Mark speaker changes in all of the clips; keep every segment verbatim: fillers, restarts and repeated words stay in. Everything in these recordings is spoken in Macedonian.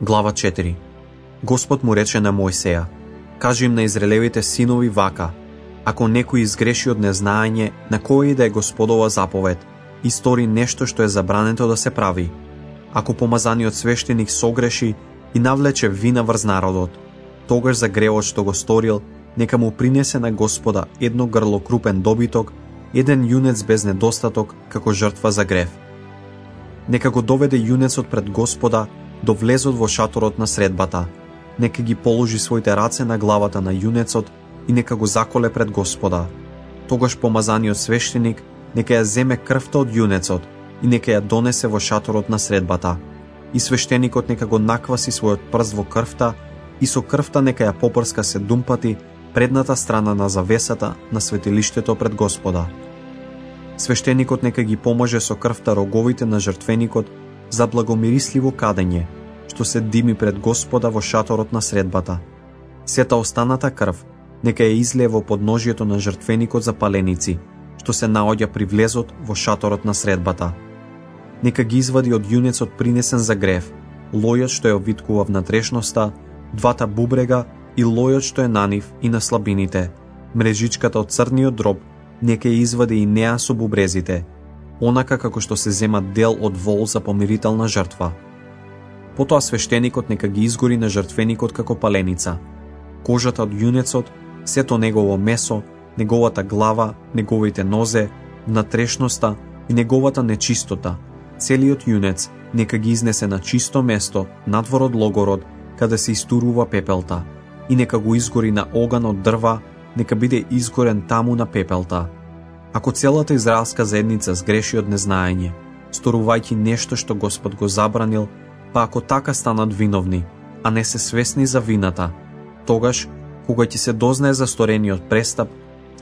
Speaker 1: Глава четири. Господ му рече на Мојсеја: кажи им на израелевите синови вака: ако некој изгреши од незнаење на која и да е Господова заповед и стори нешто што е забрането да се прави, ако помазаниот свештеник согреши и навлече вина врз народот, тогаш за гревот што го сторил, нека му принесе на Господа едно грло крупен добиток, еден јунец без недостаток како жртва за грев. Нека го доведе јунецот пред Господа до влезот во шаторот на средбата, нека ги положи своите раце на главата на јунецот и нека го заколе пред Господа. Тогаш помазаниот свештеник нека ја земе крвта од јунецот и нека ја донесе во шаторот на средбата, и свештеникот нека го накваси својот прст во крвта и со крвта нека ја попрска седум пати предната страна на завесата на светилиштето пред Господа. Свештеникот нека ги помаже со крвта роговите на жртвеникот за благомирисливо кадење, што се дими пред Господа во шаторот на средбата. Сета останата крв нека ја излее во подножјето на жртвеникот за паленици, што се наоѓа при влезот во шаторот на средбата. Нека ги извади од јунецот принесен за грев, лојот што ја обвиткува внатрешноста, двата бубрега и лојот што е на нив и на слабините, мрежичката од црниот дроб, нека ја извади и неа со бубрезите, онака како што се зема дел од вол за помирителна жртва. Потоа свештеникот нека ги изгори на жртвеникот како паленица, кожата од јунецот, сето негово месо, неговата глава, неговите нозе, внатрешноста и неговата нечистота, целиот јунец нека ги изнесе на чисто место надвор од логород, каде се истурува пепелта, и нека го изгори на оган од дрва, нека биде изгорен таму на пепелта. Ако целата израелска заедница сгреши од незнаење, сторувајќи нешто што Господ го забранил, па ако така станат виновни, а не се свесни за вината, тогаш, кога ќе се дознае за сторениот престап,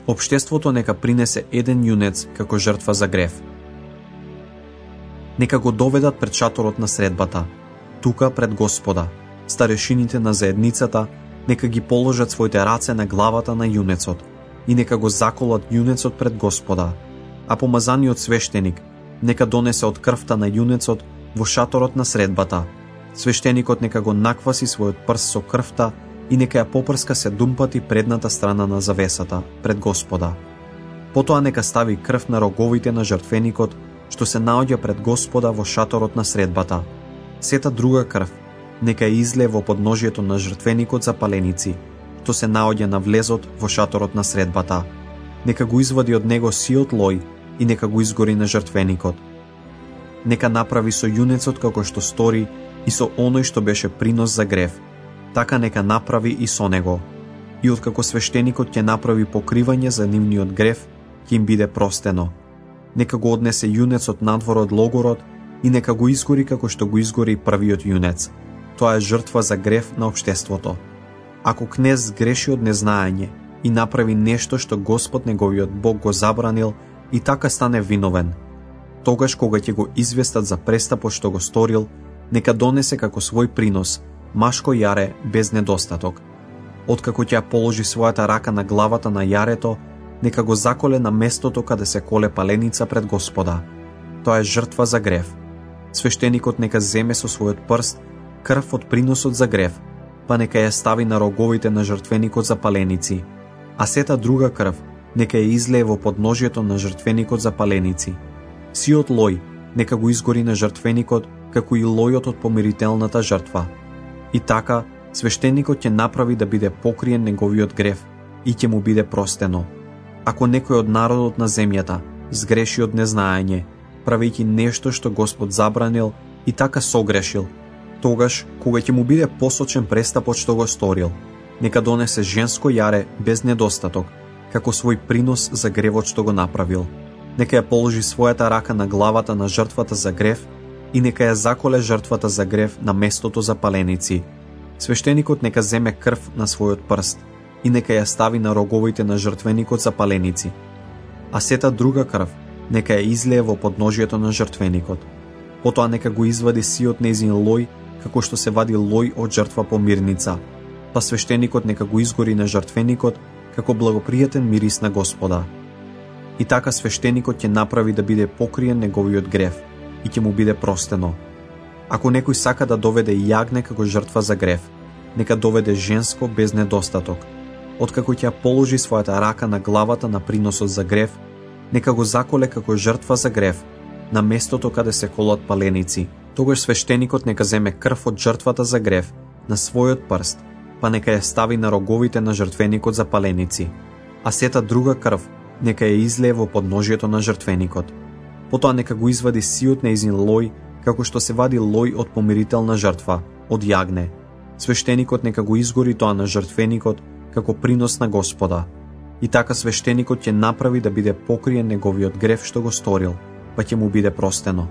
Speaker 1: општеството нека принесе еден јунец како жртва за грев. Нека го доведат пред шаторот на средбата, тука пред Господа. Старешините на заедницата нека ги положат своите раце на главата на јунецот и нека го заколат јунецот пред Господа, а помазаниот свештеник нека донесе од крвта на јунецот во шаторот на средбата. Свештеникот нека го накваси својот прст со крвта и нека ја попрска седум пати предната страна на завесата пред Господа. Потоа нека стави крв на роговите на жртвеникот што се наоѓа пред Господа во шаторот на средбата. Сета друга крв нека ја излее во подножјето на жртвеникот за паленици, што се наоѓа на влезот во шаторот на средбата. Нека го извади од него сиот лој и нека го изгори на жртвеникот. Нека направи со јунецот како што стори и со оној што беше принос за грев, така нека направи и со него. И откако свештеникот ќе направи покривање за нивниот грев, ќе им биде простено. Нека го однесе јунецот надвор од логород и нека го изгори како што го изгори првиот јунец. Тоа е жртва за грев на општеството. Ако кнез греши од незнаење и направи нешто што Господ неговиот Бог го забранил и така стане виновен, тогаш кога ќе го известат за престапот што го сторил, нека донесе како свој принос машко јаре без недостаток. Откако ќе положи својата рака на главата на јарето, нека го заколе на местото каде се коле паленица пред Господа. Тоа е жртва за грев. Свештеникот нека земе со својот прст крв од приносот за грев, па нека ја стави на роговите на жртвеникот за паленици, а сета друга крв нека ја излее во подножјето на жртвеникот за паленици. Сиот лој нека го изгори на жртвеникот, како и лојот од помирителната жртва. И така, свештеникот ќе направи да биде покриен неговиот грев и ќе му биде простено. Ако некој од народот на земјата сгреши од незнаење, правејќи нешто што Господ забранил и така согрешил, тогаш, кога ќе му биде посочен престапот што го сторил, нека донесе женско јаре без недостаток, како свој принос за гревот што го направил. Нека ја положи својата рака на главата на жртвата за грев и нека ја заколе жртвата за грев на местото за паленици. Свештеникот нека земе крв на својот прст и нека ја стави на роговите на жртвеникот за паленици, а сета друга крв нека ја излее во подножјето на жртвеникот. Потоа нека го извади сиот нејзин лој, како што се вади лој од жртва по мирница, па свештеникот нека го изгори на жртвеникот како благопријатен мирис на Господа. И така свештеникот ќе направи да биде покриен неговиот грев и ќе му биде простено. Ако некој сака да доведе јагне како жртва за грев, нека доведе женско без недостаток. Откако ќе положи својата рака на главата на приносот за грев, нека го заколе како жртва за грев на местото каде се колат паленици. Тогаш свештеникот нека земе крв од жртвата за грев на својот прст, па нека ја стави на роговите на жртвеникот за паленици, а сета друга крв нека ја излее во подножјето на жртвеникот. Потоа нека го извади сиот нејзин лој, како што се вади лој од помирителна жртва, од јагне. Свештеникот нека го изгори тоа на жртвеникот како принос на Господа. И така свештеникот ќе направи да биде покриен неговиот грев што го сторил, па ќе му биде простено.